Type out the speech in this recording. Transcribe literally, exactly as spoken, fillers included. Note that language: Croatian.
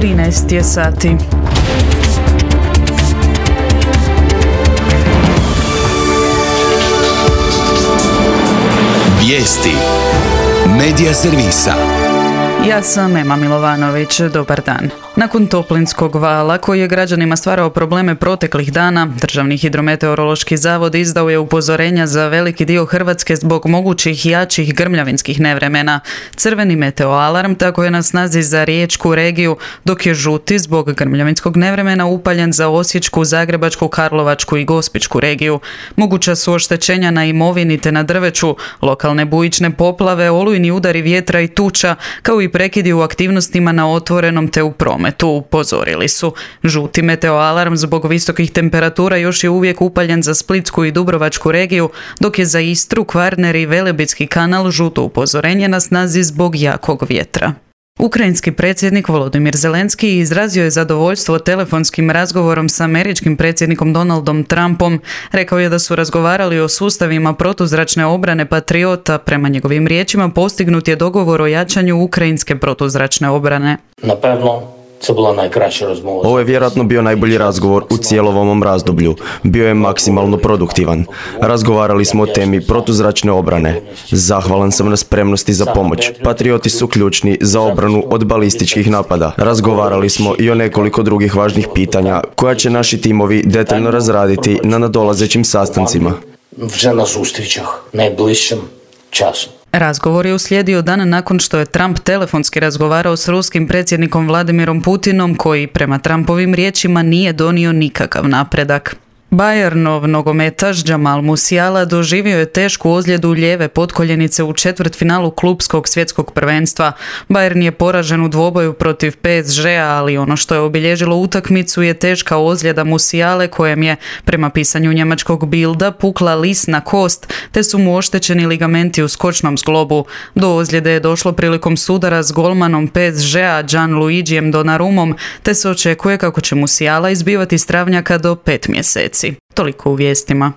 trinaest je sati. Vijesti Medija servisa. Ja sam Ema Milovanović, dobar dan. Nakon toplinskog vala koji je građanima stvarao probleme proteklih dana, Državni hidrometeorološki zavod izdao je upozorenja za veliki dio Hrvatske zbog mogućih jačih grmljavinskih nevremena. Crveni meteoalarm tako je na snazi za riječku regiju, dok je žuti zbog grmljavinskog nevremena upaljen za Osječku, Zagrebačku, Karlovačku i Gospićku regiju. Moguća su oštećenja na imovini te na drveću, lokalne bujične poplave, olujni udari vjetra i tuča, kao i prekidi u aktivnostima na otvorenom te u prometu. Tu upozorili su. Žuti meteoalarm zbog visokih temperatura još je uvijek upaljen za Splitsku i Dubrovačku regiju, dok je za Istru, Kvarner i Velebitski kanal žuto upozorenje na snazi zbog jakog vjetra. Ukrajinski predsjednik Volodymyr Zelenski izrazio je zadovoljstvo telefonskim razgovorom s američkim predsjednikom Donaldom Trumpom. Rekao je da su razgovarali o sustavima protuzračne obrane Patriota. Prema njegovim riječima postignut je dogovor o jačanju ukrajinske protuzračne obrane. Napevno, це була найкраща розмова. Ovo je vjerojatno bio najbolji razgovor u cijelom ovom razdoblju. Bio je maksimalno produktivan. Razgovarali smo o temi protuzračne obrane. Zahvalan sam na spremnosti za pomoć. Patrioti su ključni za obranu od balističkih napada. Razgovarali smo i o nekoliko drugih važnih pitanja koja će naši timovi detaljno razraditi na nadolazećim sastancima. Вже на зустрічах найближчим часом. Razgovor je uslijedio dan nakon što je Trump telefonski razgovarao s ruskim predsjednikom Vladimirom Putinom, koji prema Trumpovim riječima nije donio nikakav napredak. Bayernov nogometaš Jamal Musiala doživio je tešku ozljedu lijeve potkoljenice u četvrtfinalu klupskog svjetskog prvenstva. Bayern je poražen u dvoboju protiv P S G-a, ali ono što je obilježilo utakmicu je teška ozljeda Musiale, kojem je, prema pisanju njemačkog Bilda, pukla lisna kost, te su mu oštećeni ligamenti u skočnom zglobu. Do ozljede je došlo prilikom sudara s golmanom P S G-a Gianluigijem Donnarummom, te se očekuje kako će Musiala izbivati s travnjaka do pet mjeseci. Toliko u vijestima.